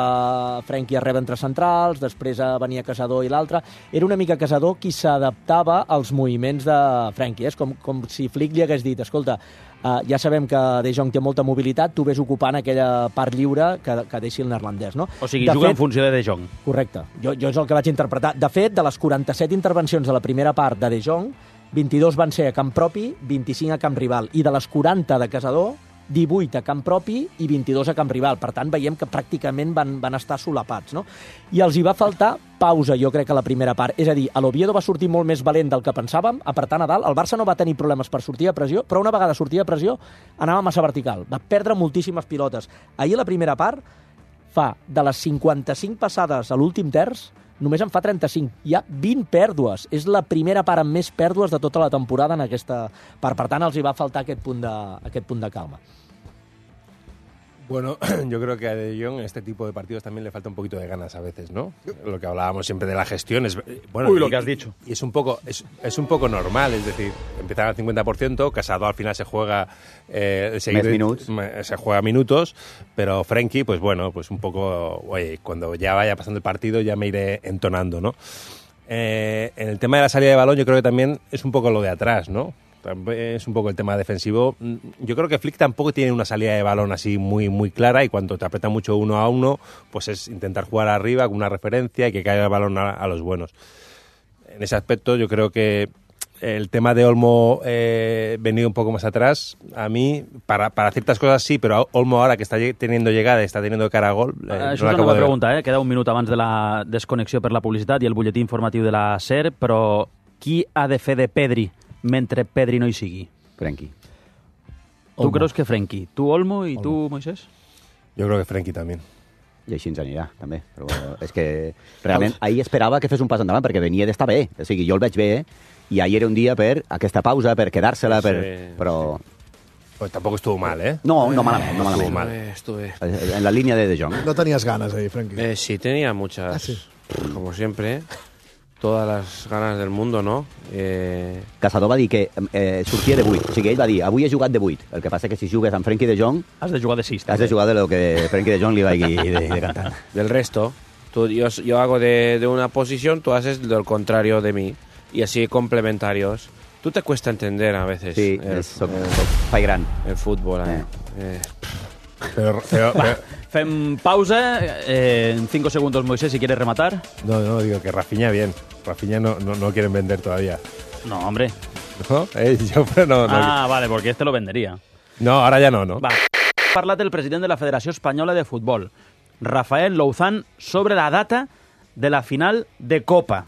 Frenkie a rebre entre centrals, després venia Caçador i l'altre. Era una mica Caçador qui s'adaptava als moviments de Frenkie. És com, com si Flick li hagués dit, escolta, uh, ja sabem que De Jong té molta mobilitat, tu ves ocupant aquella part lliure que, que deixi el neerlandès, no? O sigui, de juga fet, en funció de De Jong. Correcte. Jo, jo és el que vaig interpretar. De fet, de les quaranta-set intervencions de la primera part de De Jong, vint-i-dos van ser a camp propi, vint-i-cinc a camp rival. I de les quaranta de Caçador, divuit a camp propi i vint-i-dos a camp rival. Per tant, veiem que pràcticament van, van estar solapats, no? I els hi va faltar pausa, jo crec, a la primera part. És a dir, l'Oviedo va sortir molt més valent del que pensàvem, apretant a dalt. El Barça no va tenir problemes per sortir a pressió, però una vegada sortia a pressió anava massa vertical. Va perdre moltíssimes pilotes. Ahir, a la primera part, fa de les cinquanta-cinc passades a l'últim terç, només en fa trenta-cinc. Hi ha vint pèrdues. És la primera part amb més pèrdues de tota la temporada en aquesta part. Per tant, els hi va faltar aquest punt de, aquest punt de calma. Bueno, yo creo que a De Jong en este tipo de partidos también le falta un poquito de ganas a veces, ¿no? Lo que hablábamos siempre de la gestión es... Bueno, Uy, lo y, que has dicho. Y es un poco es, es un poco normal, es decir, empezar al cincuenta por ciento, Casado al final se juega... Eh, Més minuts. Se juega minutos, pero Frenkie, pues bueno, pues un poco... Oye, cuando ya vaya pasando el partido ya me iré entonando, ¿no? Eh, en el tema de la salida de balón yo creo que también es un poco lo de atrás, ¿no? Es un poco el tema defensivo. Yo creo que Flick tampoco tiene una salida de balón así muy muy clara y cuando te aprieta mucho uno a uno, pues es intentar jugar arriba con una referencia y que caiga el balón a, a los buenos. En ese aspecto yo creo que el tema de Olmo eh, venido un poco más atrás, a mí, para, para ciertas cosas sí, pero Olmo ahora que está teniendo llegada i està teniendo cara a gol... Eh, Això no és una de... pregunta, eh? Queda un minut abans de la desconnexió per la publicitat i el butlletí informatiu de la SER, però qui ha de fer de Pedri mentre Pedri no hi sigui? Frenkie. Tu Olmo. creus que Frenkie? Tu Olmo i tu Moisés? Yo creo que Frenkie también. I així ens anirà, també. Però és que realment ahir esperava que fes un pas endavant perquè venia d'estar bé. O sigui, jo el veig bé i ahir era un dia per aquesta pausa, per quedar-se-la, per... però... Pues tampoco estuvo mal, ¿eh? No, no malament, no Estuve, malament. estuve. En la línea de De Jong. No tenías ganas ahí, Frenkie. Eh, sí, tenía muchas. Ah, sí. Como siempre, todas las ganas del mundo, ¿no? Eh... Caçador va dir que eh, sortia de vuit. O sigui, ell va dir, avui he jugat de vuit. El que passa que si jugues amb Frenkie de Jong... Has de jugar de sis. Has de jugar de lo que Frenkie de Jong li vagi de, de cantar. Del resto, tú, yo, yo hago de, de una posición, tú haces lo contrario de mí. Y así complementarios. Tú te cuesta entender a veces Sí, el, és, soc, el, soc fai gran. el fútbol. Eh. Eh. Eh. Pero, pero, pero... Fem pausa. Eh, en cinco segundos, Moisés, si quieres rematar. No, no, digo que Rafinha bien. Rafinha no, no, no quieren vender todavía. No, hombre. ¿No? Eh, yo, pero no, no. Ah, vale, porque este lo vendería. No, ahora ya no, ¿no? Va. Ha parlat el president de la Federació Espanyola de Futbol, Rafael Louzán, sobre la data de la final de Copa.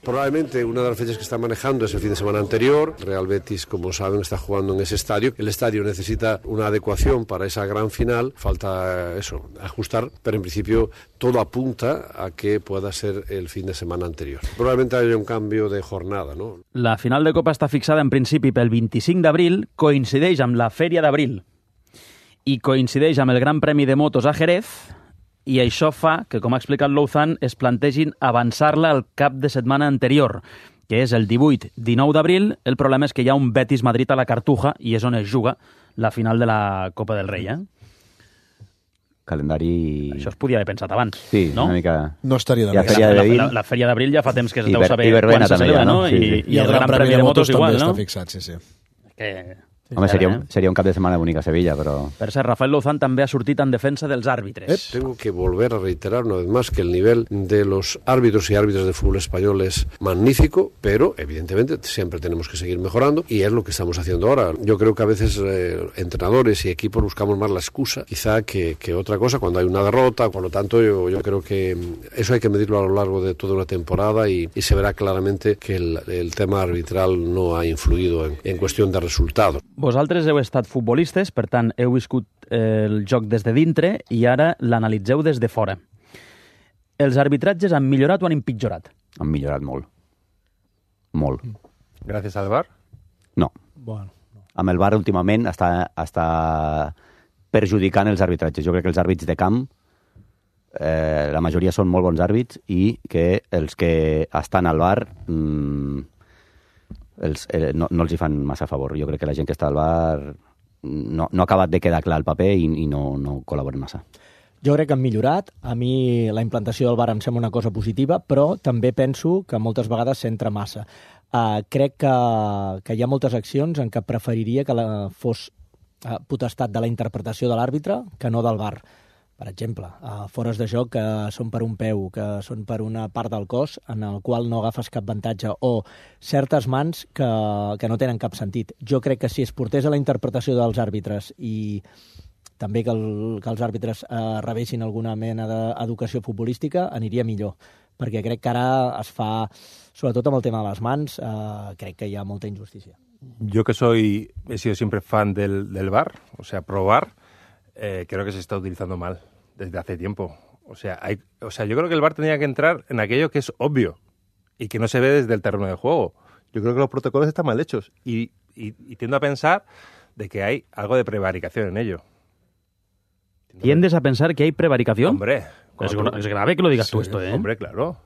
Probablemente una de las fechas que está manejando es el fin de semana anterior. Real Betis, como saben, está jugando en ese estadio. El estadio necesita una adecuación para esa gran final. Falta eso, ajustar, pero en principio todo apunta a que pueda ser el fin de semana anterior. Probablemente haya un cambio de jornada, ¿no? La final de Copa està fixada en principi pel vint-i-cinc d'abril, coincideix amb la Fèria d'Abril i coincideix amb el Gran Premi de Motos a Jerez i això fa que, com ha explicat Louzan, es plantegin avançar-la al cap de setmana anterior, que és el divuit dinou d'abril. El problema és que hi ha un Betis-Madrid a la Cartuja i és on es juga la final de la Copa del Rei, eh? Calendari... Això es podia haver pensat abans, sí, no? una mica... No estaria de ja més. La, la, la, la Fèria d'Abril ja fa temps que es deu Iber, saber quan se celebra, no? Sí, sí. I, I, I el Gran Premi de Motos igual, no? Està fixat, sí, sí. Que... Home, sería un, sería un cap de semana bonic a Sevilla, pero... Per cert, Rafael Louzan també ha sortit en defensa dels àrbitres. Eh, tengo que volver a reiterar una vez más que el nivel de los árbitros y árbitras de fútbol español es magnífico, pero evidentemente siempre tenemos que seguir mejorando y es lo que estamos haciendo ahora. Yo creo que a veces eh, entrenadores y equipos buscamos más la excusa quizá que, que otra cosa cuando hay una derrota. Por lo tanto, yo, yo creo que eso hay que medirlo a lo largo de toda una temporada y, y se verá claramente que el, el tema arbitral no ha influido en, en cuestión de resultados. Vosaltres heu estat futbolistes, per tant, heu viscut el joc des de dintre i ara l'analitzeu des de fora. Els arbitratges han millorat o han empitjorat? Han millorat molt. Molt. Gràcies al V A R? No. Bueno, no. Amb el V A R últimament està, està perjudicant els arbitratges. Jo crec que els àrbits de camp, eh, la majoria són molt bons àrbits i que els que estan al V A R... Mmm, Els, eh, no, no els hi fan massa favor. Jo crec que la gent que està al V A R no, no ha acabat de quedar clar el paper i, i no, no col·laboren massa. Jo crec que han millorat. A mi la implantació del V A R em sembla una cosa positiva, però també penso que moltes vegades s'entra massa. Uh, crec que, que hi ha moltes accions en què preferiria que la fos uh, potestat de la interpretació de l'àrbitre que no del V A R. Per exemple, uh, fores de joc que són per un peu, que són per una part del cos en el qual no agafes cap avantatge, o certes mans que, que no tenen cap sentit. Jo crec que si es portés a la interpretació dels àrbitres i també que, el, que els àrbitres uh, rebessin alguna mena d'educació futbolística, aniria millor. Perquè crec que ara es fa, sobretot amb el tema de les mans, uh, crec que hi ha molta injustícia. Yo que soy, he sido siempre fan del, del V A R, o sea, pro V A R, Eh, creo que se está utilizando mal desde hace tiempo. O sea, hay, o sea, yo creo que el V A R tendría que entrar en aquello que es obvio y que no se ve desde el terreno de juego. Yo creo que los protocolos están mal hechos y, y, y tiendo a pensar de que hay algo de prevaricación en ello. ¿Tiendes a pensar que hay prevaricación? Hombre. Es, tú... es grave que lo digas sí, tú esto, ¿eh? Hombre, claro.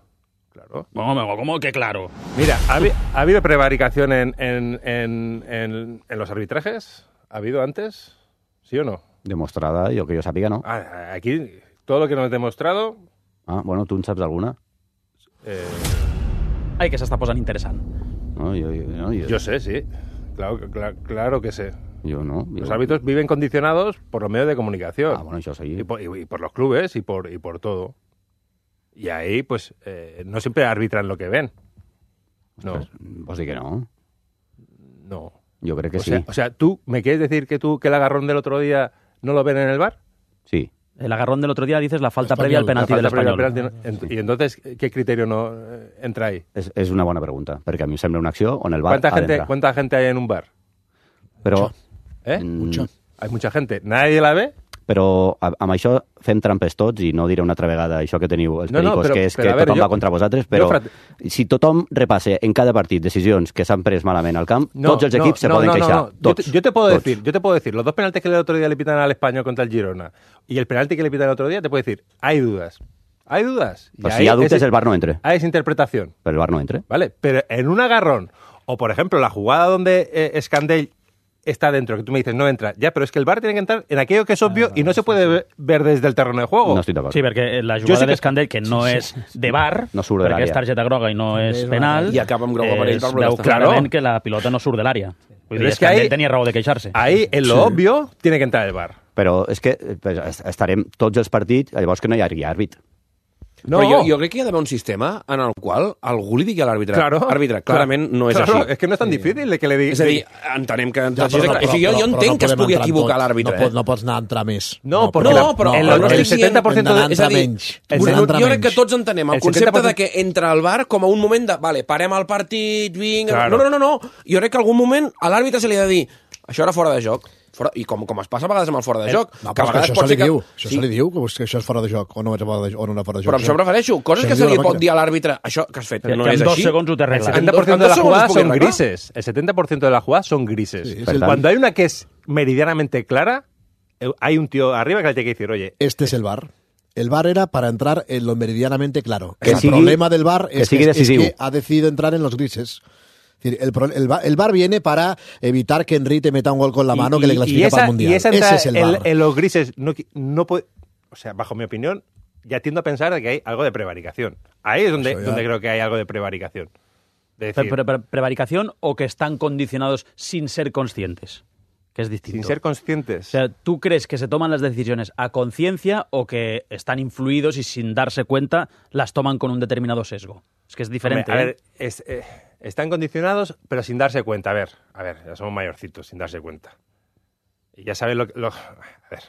Claro. ¿Cómo, cómo que claro? Mira, ¿ha, ha habido prevaricación en, en, en, en, en los arbitrajes? ¿Ha habido antes? ¿Sí o no? Demostrada, jo que jo sàpiga, no. Ah, aquí, todo lo que nos has demostrado... Ah, bueno, tu en saps alguna? Eh... Ai, que s'està posant interessant. No, jo, jo, no, jo... yo sé, sí. Claro, claro, claro que sé. Yo no. Yo... Los árbitros viven condicionados por los medios de comunicación. Ah, bueno, eso sí. Y por, y, y por los clubes y por, y por todo. Y ahí, pues, eh, no siempre arbitran lo que ven. No. Pues, pues sí que no. No. Yo creo que o sí. Sea, o sea, ¿tú me quieres decir que tú que el agarrón del otro día no lo ven en el V A R? Sí. El agarrón del otro día dices la falta previa al penalti del Espanyol. Y entonces, ¿qué criterio no eh, entra ahí? És, és una bona pregunta, perquè a mi em sembla una acció on el V A R ¿Cuánta ha gente, d'entrar. ¿Cuánta gente hay en un V A R? Però, ¿Eh? Mucha. Hay mucha gente. ¿Nadie la ve? Però amb això fem trampes tots i no diré una altra vegada això que teniu els no, no, pericos, però, que és però, que veure, tothom jo, va contra vosaltres, però jo, frat... si tothom repasse en cada partit decisions que s'han pres malament al camp, no, tots els no, equips se no, poden no, queixar. No, no. Tots, yo, te, yo te puedo tots. decir, yo te puedo decir, los dos penaltis que el otro día le pitan al Español contra el Girona y el penalti que le pitan el otro día, te puedo decir, hay dudas. Hay dudas. Pues si hi ha dubtes, es, el V A R no entre. Hay esa interpretación. Pero el V A R no entre. Vale, pero en un agarrón, o por ejemplo, la jugada donde eh, Escandell está dentro, que tú me dices, no entra. Ya, pero es que el V A R tiene que entrar en aquello que es obvio ah, y no se puede ver desde el terreno de juego. No estoy de acuerdo. Sí, perquè la jugada sí d'Escandell, que no és de V A R, no surt de perquè és targeta groga i no és penal, i acaba amb groga per ell, es veu clarament que la pilota no surt de l'àrea. Vull dir, es que Escandell ahí, tenia raó de queixar-se. Ahí, en lo sí. obvio, tiene que entrar el V A R. Però és que pues, estarem tots els partits, llavors que no hi hagi àrbit. No. Però jo, jo crec que hi ha d'haver un sistema en el qual algú li digui a l'àrbitre. Claro, àrbitre, clarament claro, no és claro, així. És que no és tan difícil de que li digui. És a dir, entenem que... Ja, però, però, o sigui, jo, jo entenc no que es pugui equivocar tot. l'àrbitre. No, pot, no pots anar a entrar més. No, no, perquè no, la, però el, el, el setenta per cent de, és a dir, menys. El, jo crec que tots entenem el, el concepte setenta per cent... de que entra al V A R com a un moment de, vale, parem el partit, vinga... Claro. No, no, no, no, jo crec que algun moment a l'àrbitre se li ha de dir això era fora de joc. Fora, i com, com es passa a vegades amb el fora de joc. No, que a vegades pot ser que... Diu, això sí. se li diu, que, que això és fora de joc, o no és fora de, o no és fora de joc. Però això em refereixo, coses se que se li pot dir a l'àrbitre, això que has fet, que, no que és en així. dos segons ho té El setenta por ciento de las jugadas son grises. El setenta por ciento de las jugadas son grises. Sí, sí, Cuando hay una que es meridianamente clara, hay un tío arriba que le tiene que decir, oye... Este es el V A R. el V A R era para entrar en lo meridianamente claro. Que el sigui, problema del V A R que es, que, es decisiu. que ha decidido entrar en los grises. Es decir, el, el, el V A R viene para evitar que Henry te meta un gol con la mano y, que le clasifica y esa, para el Mundial. Y esa Ese es el en, V A R. en los grises, no, no puede, o sea, bajo mi opinión, ya tiendo a pensar de que hay algo de prevaricación. Ahí es donde, donde creo que hay algo de prevaricación. De decir, Pre- pre- ¿Prevaricación o que están condicionados sin ser conscientes? Que es distinto. Sin ser conscientes. O sea, ¿tú crees que se toman las decisiones a conciencia o que están influidos y sin darse cuenta las toman con un determinado sesgo? Es que es diferente. Hombre, a ¿eh? ver, es, eh, están condicionados, pero sin darse cuenta. A ver, a ver, ya somos mayorcitos, sin darse cuenta. Y ya sabes lo que... Lo, a ver...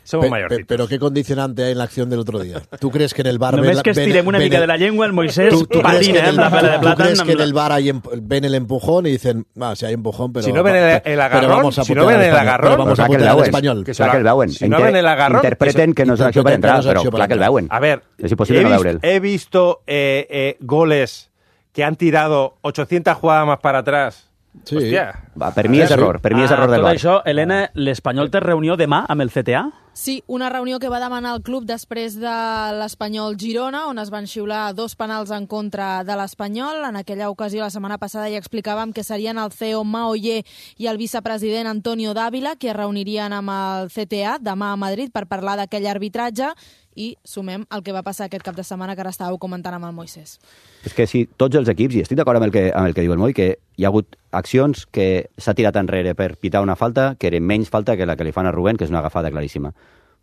Somos Pe- mayorcitos. pe- Pero ¿qué condicionante hay en la acción del otro día? ¿Tú crees que en el V A R... Només ven- que estirem ven- una ven mica el- de la llengua, el Moisés ¿Tú, tú crees que patina en en el, la pela de ¿tú plata. crees que en el V A R hay em- ven el empujón y dicen, ah, sí hay empujón, pero... Si no ven el, el pero agarrón, vamos a si no putear ven al el español, agarrón... pero vamos a Clar que el putear al veuen. español. Que Clar que el veuen. Si no ven el agarrón... Interpreten que no és una acció per interpreten entrar, que no és però acció per clar que el entrar. veuen. A ver, és impossible he, no vis- veure'l. he visto eh, eh, goles que han tirado ochocientas jugadas más para atrás. Sí. Hòstia. Va, per mi és error, per mi és error del Tot V A R. això, Helena, l'Espanyol té reunió demà amb el C T A? Sí, una reunió que va demanar el club després de l'Espanyol Girona, on es van xiular dos penals en contra de l'Espanyol. En aquella ocasió, la setmana passada, ja explicàvem que serien el C E O Maoyer i el vicepresident Antonio Dávila, que es reunirien amb el C T A demà a Madrid per parlar d'aquell arbitratge, i sumem el que va passar aquest cap de setmana que ara estàveu comentant amb el Moisés. És que si tots els equips, i estic d'acord amb, el que, amb el que diu el Moi, que hi ha hagut accions que s'ha tirat enrere per pitar una falta que eren menys falta que la que li fan a Rubén, que és una agafada claríssima.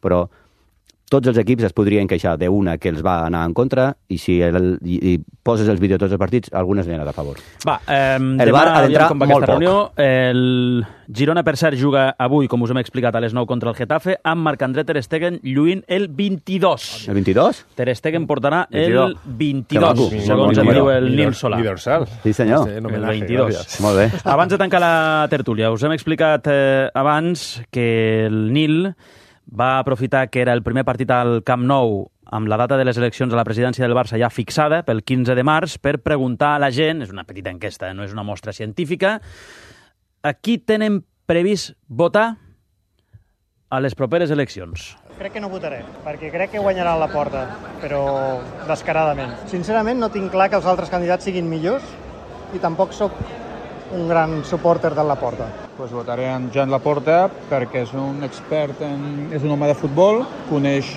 Però tots els equips es podrien queixar d'una que els va anar en contra i si el, i, i poses els vídeos de tots els partits, algunes n'hi ha a favor. Va, eh, El demà V A R ha d'entrar com va molt aquesta poc. reunió. El Girona, per cert, juga avui, com us hem explicat, a les nou contra el Getafe, amb Marc-André Ter Stegen lluint el vint-i-dos. El vint-i-dos? Ter Stegen portarà el vint-i-dos. vint-i-dos, Que maco. segons Molt em diu bé. el Nil Solà. Mi dorsal. Sí, senyor. Sí, en El homenaje, vint-i-dos. gràcies. Molt bé. Abans de tancar la tertúlia, us hem explicat eh, abans que el Nil va aprofitar que era el primer partit al Camp Nou amb la data de les eleccions a la presidència del Barça ja fixada pel quinze de març per preguntar a la gent, és una petita enquesta, no és una mostra científica, a qui tenen previst votar a les properes eleccions. Crec que no votaré, perquè crec que guanyarà la Porta, però descaradament. Sincerament, no tinc clar que els altres candidats siguin millors i tampoc sóc un gran supporter de la Porta. Pues votaré en Joan Laporta perquè és un expert, en, és un home de futbol, coneix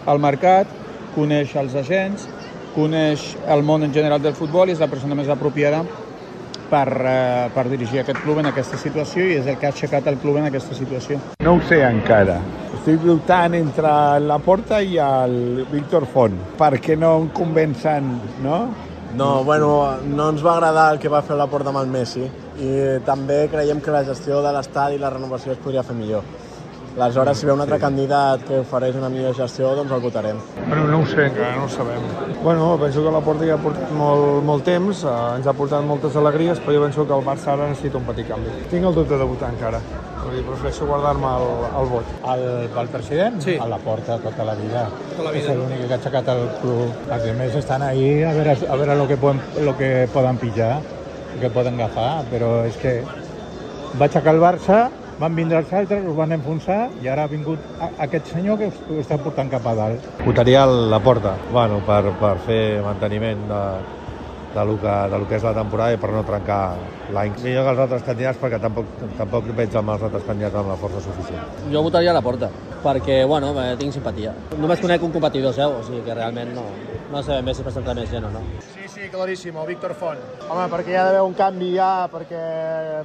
el mercat, coneix els agents, coneix el món en general del futbol i és la persona més apropiada per, eh, per dirigir aquest club en aquesta situació i és el que ha aixecat el club en aquesta situació. No ho sé encara. Estic dubtant entre la Porta i el Víctor Font, perquè no em convencen, no? No, bueno, no ens va agradar el que va fer la Porta amb el Messi i també creiem que la gestió de l'estadi i la renovació es podria fer millor. Aleshores, si ve un altre candidat que ofereix una millor gestió, doncs el votarem. Bueno, no ho sé, encara no ho sabem. Bueno, penso que la Porta ja ha portat molt, molt temps, eh, ens ha portat moltes alegries, però jo penso que el Barça ara necessita un petit canvi. Tinc el dubte de votar encara, vull dir, prefereixo guardar-me el, el vot. El, el president? Sí. A la Porta tota la vida. Tota la vida, És no? l'únic que ha aixecat el club. Els altres estan ahí a veure, a veure lo que poden, lo que poden pillar, lo que poden agafar, però és que va aixecar el Barça, van vindre els altres, us van enfonsar i ara ha vingut a, aquest senyor que us, ho està portant cap a dalt. Votaria la Porta, bueno, per, per fer manteniment de, de, lo que, de lo que és la temporada i per no trencar l'any. Millor que els altres candidats perquè tampoc, tampoc veig amb els altres candidats amb la força suficient. Jo votaria a la Porta, perquè, bueno, eh, tinc simpatia. Només conec un competidor seu, o sigui que realment no, no sé ben bé si presenta més gent o no. Sí, sí, claríssim, el Víctor Font. Home, perquè hi ha d'haver un canvi ja, perquè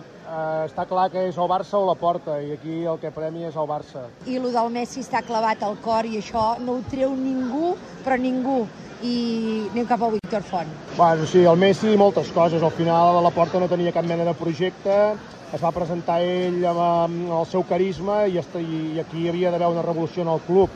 eh, està clar que és el Barça o la Porta, i aquí el que premi és el Barça. I el del Messi està clavat al cor i això no ho treu ningú, però ningú. I anem cap al Víctor Font. Bueno, sí, el Messi moltes coses. Al final a la Porta no tenia cap mena de projecte, es va presentar ell amb, amb el seu carisma i, i aquí hi havia d'haver una revolució en el club.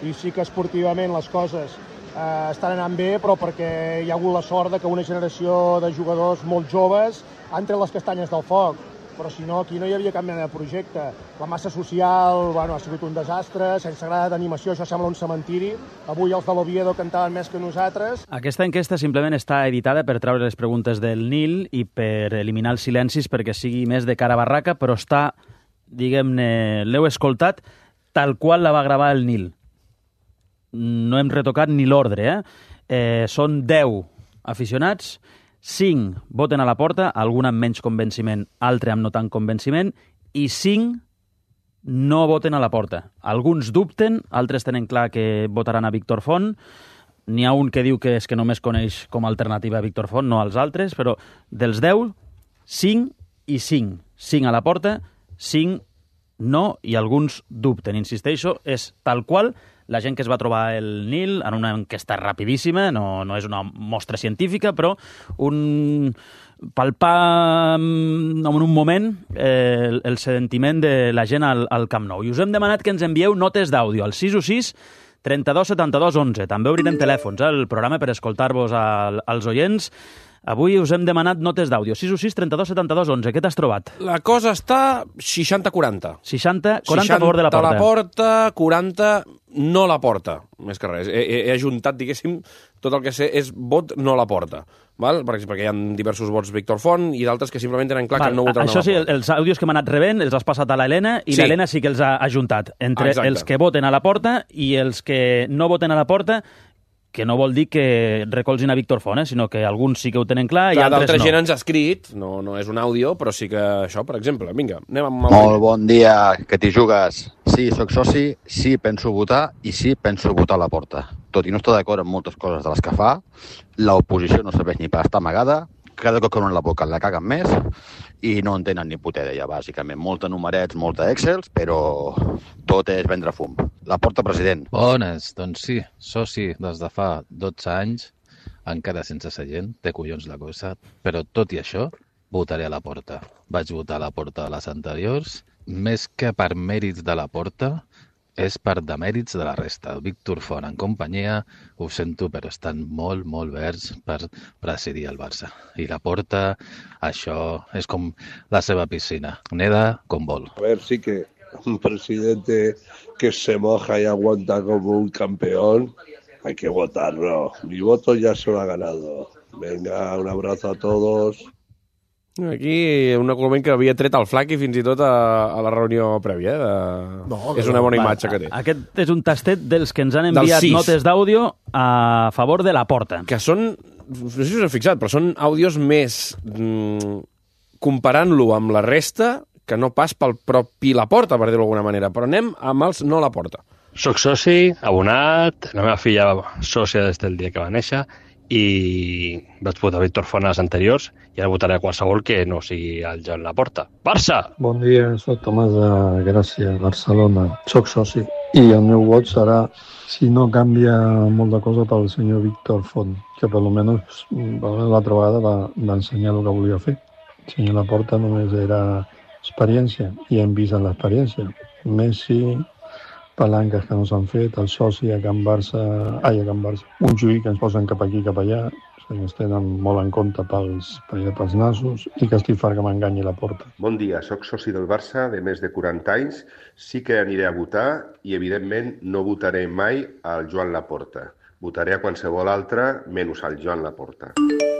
I sí que esportivament les coses eh, estan anant bé, però perquè hi ha hagut la sort de que una generació de jugadors molt joves han tret les castanyes del foc. Però si no, aquí no hi havia cap mena de projecte. La massa social, bueno, ha sigut un desastre, sense grada d'animació, això sembla un cementiri. Avui els de l'Oviedo cantaven més que nosaltres. Aquesta enquesta simplement està editada per treure les preguntes del Nil i per eliminar els silencis perquè sigui més de cara a barraca, però està, diguem-ne, l'heu escoltat tal qual la va gravar el Nil. no hem retocat ni l'ordre, eh? eh? Són deu aficionats, cinc voten a la porta, algun amb menys convenciment, altre amb no tant convenciment, i cinc no voten a la porta. Alguns dubten, altres tenen clar que votaran a Víctor Font. N'hi ha un que diu que és que només coneix com a alternativa a Víctor Font, no als altres, però dels deu, cinc i cinc. cinc a la porta, cinc no, i alguns dubten. Insisteixo, és tal qual la gent que es va trobar el Nil en una enquesta rapidíssima, no, no és una mostra científica, però un palpar en un moment eh, el, el sentiment de la gent al, al Camp Nou. I us hem demanat que ens envieu notes d'àudio al sis u sis trenta-dos setanta-dos onze. També obrirem telèfons, eh, el programa per escoltar-vos al, als oients. Avui us hem demanat notes d'àudio. sis u sis trenta-dos setanta-dos onze. Què t'has trobat? La cosa està seixanta quaranta. seixanta quaranta a favor de la porta. la porta, quaranta no la porta, més que res. He, he, he ajuntat, diguéssim, tot el que sé és vot no la porta. Val? Perquè hi ha diversos vots Víctor Font i d'altres que simplement tenen clar Val, que no votaran això a la sí, porta. Els àudios que m'han anat rebent els has passat a l'Helena i sí. l'Helena sí que els ha ajuntat. Entre Exacte. els que voten a la porta i els que no voten a la porta, que no vol dir que recolzin a Víctor Font, eh? Sinó que alguns sí que ho tenen clar, clar i altres no. D'altra gent ens ha escrit, no, no és un àudio, però sí que això, per exemple. Vinga, anem amb... El Molt bon dia, que t'hi jugues. Sí, sóc soci, sí, penso votar i sí, penso votar a la porta. Tot i no estar d'acord amb moltes coses de les que fa, l'oposició no serveix ni per estar amagada, cada cop que obren la boca la caguen més i no en tenen ni puta idea, bàsicament. Molta numerets, molta Excels, però tot és vendre fum. La porta, president. Bones, doncs sí, soci des de fa dotze anys, encara sense seient, té collons la cosa, però tot i això, votaré a la porta. Vaig votar a la porta de les anteriors, més que per mèrits de la porta, és per demèrits de la resta. Víctor Font en companyia, ho sento, però estan molt, molt verds per presidir el Barça. I la porta, això és com la seva piscina. Neda com vol. A ver, sí que un presidente que se moja y aguanta como un campeón, hay que votarlo. Mi voto ya se lo ha ganado. Venga, un abrazo a todos. Aquí un argument que havia tret el Flac i fins i tot a, a la reunió prèvia. Eh? De... No, és una bona va, imatge que té. Aquest és un tastet dels que ens han enviat notes d'àudio a favor de la porta. Que són, no sé si us heu fixat, però són àudios més mm, comparant-lo amb la resta que no pas pel propi la porta, per dir-ho d'alguna manera. Però anem amb els no la porta. Soc soci, abonat, la meva filla sòcia des del dia que va néixer, i vaig votar Víctor Font a les anteriors i ara votaré a qualsevol que no sigui el Joan Laporta. Barça! Bon dia, soc Tomàs de Gràcia, Barcelona. Soc soci i el meu vot serà, si no canvia molt de cosa, pel senyor Víctor Font, que per almenys l'altra vegada va, va ensenyar el que volia fer. El senyor Laporta només era experiència i hem vist en l'experiència. Messi, palanques que no s'han fet, el soci a Can Barça, ai, a Can Barça, un juí que ens posen cap aquí, cap allà, que ens tenen molt en compte pels, pels nassos i que estic fart que m'enganyi la porta. Bon dia, sóc soci del Barça de més de quaranta anys, sí que aniré a votar i evidentment no votaré mai al Joan Laporta. Votaré a qualsevol altre, menys al Joan Laporta.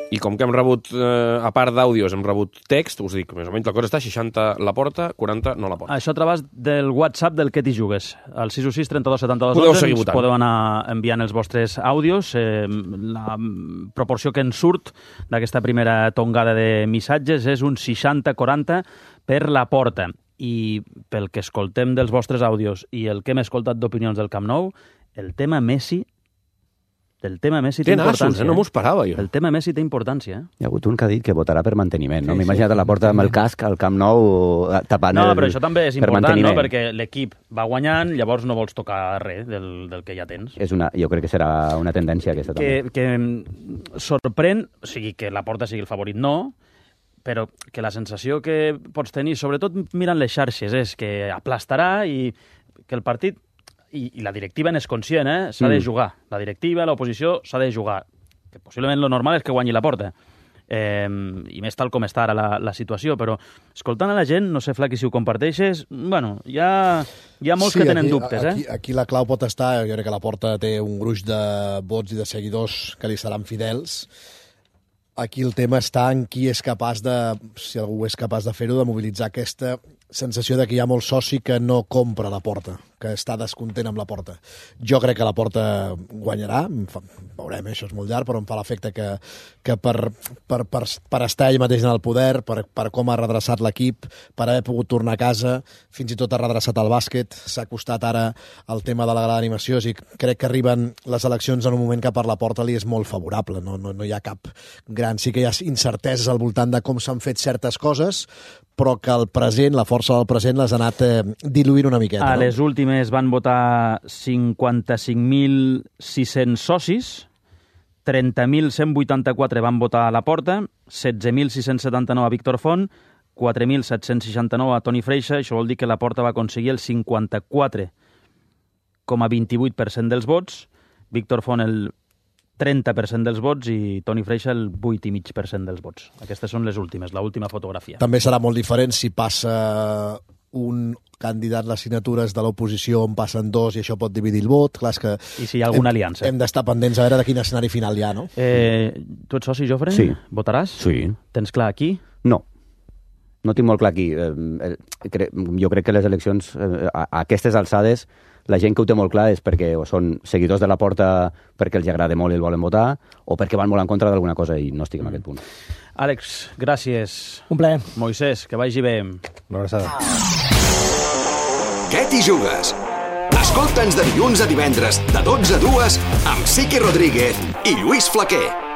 I com que hem rebut, eh, a part d'àudios, hem rebut text, us dic, més o menys la cosa està seixanta la porta, quaranta no la porta. Això a través del WhatsApp del que t'hi jugues. Al sis u sis trenta-dos setanta-dos onze ens podeu anar enviant els vostres àudios. Eh, la proporció que ens surt d'aquesta primera tongada de missatges és un seixanta quaranta per la porta. I pel que escoltem dels vostres àudios i el que hem escoltat d'opinions del Camp Nou, el tema Messi El tema Messi té, té importància. Nassos, eh? No m'ho esperava, jo. El tema Messi té importància. Eh? Hi ha hagut un que ha dit que votarà per manteniment, no? Sí, M'he imaginat sí. a la porta amb el casc al Camp Nou tapant no, el... No, però això també és important, no? Perquè l'equip va guanyant, llavors no vols tocar res del, del que ja tens. És una, jo crec que serà una tendència aquesta que, també. Que sorprèn, o sigui, que la porta sigui el favorit, no, però que la sensació que pots tenir, sobretot mirant les xarxes, és que aplastarà i que el partit... I, i la directiva n'és conscient, eh? S'ha mm. de jugar. La directiva, l'oposició, s'ha de jugar. Que possiblement lo normal és que guanyi la porta. Eh, I més tal com està ara la, la situació, però escoltant a la gent, no sé, Flaqui, si ho comparteixes, bueno, hi ha, hi ha molts sí, que tenen aquí, dubtes, aquí, eh? Aquí la clau pot estar, jo crec que la porta té un gruix de vots i de seguidors que li seran fidels. Aquí el tema està en qui és capaç de, si algú és capaç de fer-ho, de mobilitzar aquesta sensació de que hi ha molt soci que no compra la Porta, que està descontent amb la Porta. Jo crec que la Porta guanyarà, veurem, això és molt llarg, però em fa l'efecte que, que per, per, per, per estar ell mateix en el poder, per, per com ha redreçat l'equip, per haver pogut tornar a casa, fins i tot ha redreçat el bàsquet, s'ha costat ara el tema de la gala d'animació, i crec que arriben les eleccions en un moment que per la Porta li és molt favorable, no, no, no hi ha cap gran... Sí que hi ha incerteses al voltant de com s'han fet certes coses, però que el present, la força del present, les ha anat eh, diluint una miqueta. A no? les últimes van votar cinquanta-cinc mil sis-cents socis, trenta mil cent vuitanta-quatre van votar a la Porta, setze mil sis-cents setanta-nou a Víctor Font, quatre mil set-cents seixanta-nou a Toni Freixa, això vol dir que la Porta va aconseguir el cinquanta-quatre coma vint-i-vuit per cent dels vots, Víctor Font el trenta per cent dels vots i Toni Freixa el vuit coma cinc per cent dels vots. Aquestes són les últimes, l'última fotografia. També serà molt diferent si passa un candidat les signatures de l'oposició on passen dos i això pot dividir el vot. Clar, és que I si hi ha alguna hem, aliança. Hem d'estar pendents a veure de quin escenari final hi ha, no? Eh, tu ets soci, Jofre? Sí. Votaràs? Sí. Tens clar aquí? No. No tinc molt clar aquí. Eh, cre jo crec que les eleccions, eh, a, a aquestes alçades, la gent que ho té molt clar és perquè o són seguidors de la Porta perquè els agrada molt i el volen votar, o perquè van molt en contra d'alguna cosa i no estic en mm. aquest punt. Àlex, gràcies. Un plaer. Moisès, que vagi bé. Una abraçada. Què t'hi jugues? Escolta'ns de dilluns a divendres, de dotze a dues, amb Siqui Rodríguez i Lluís Flaquer.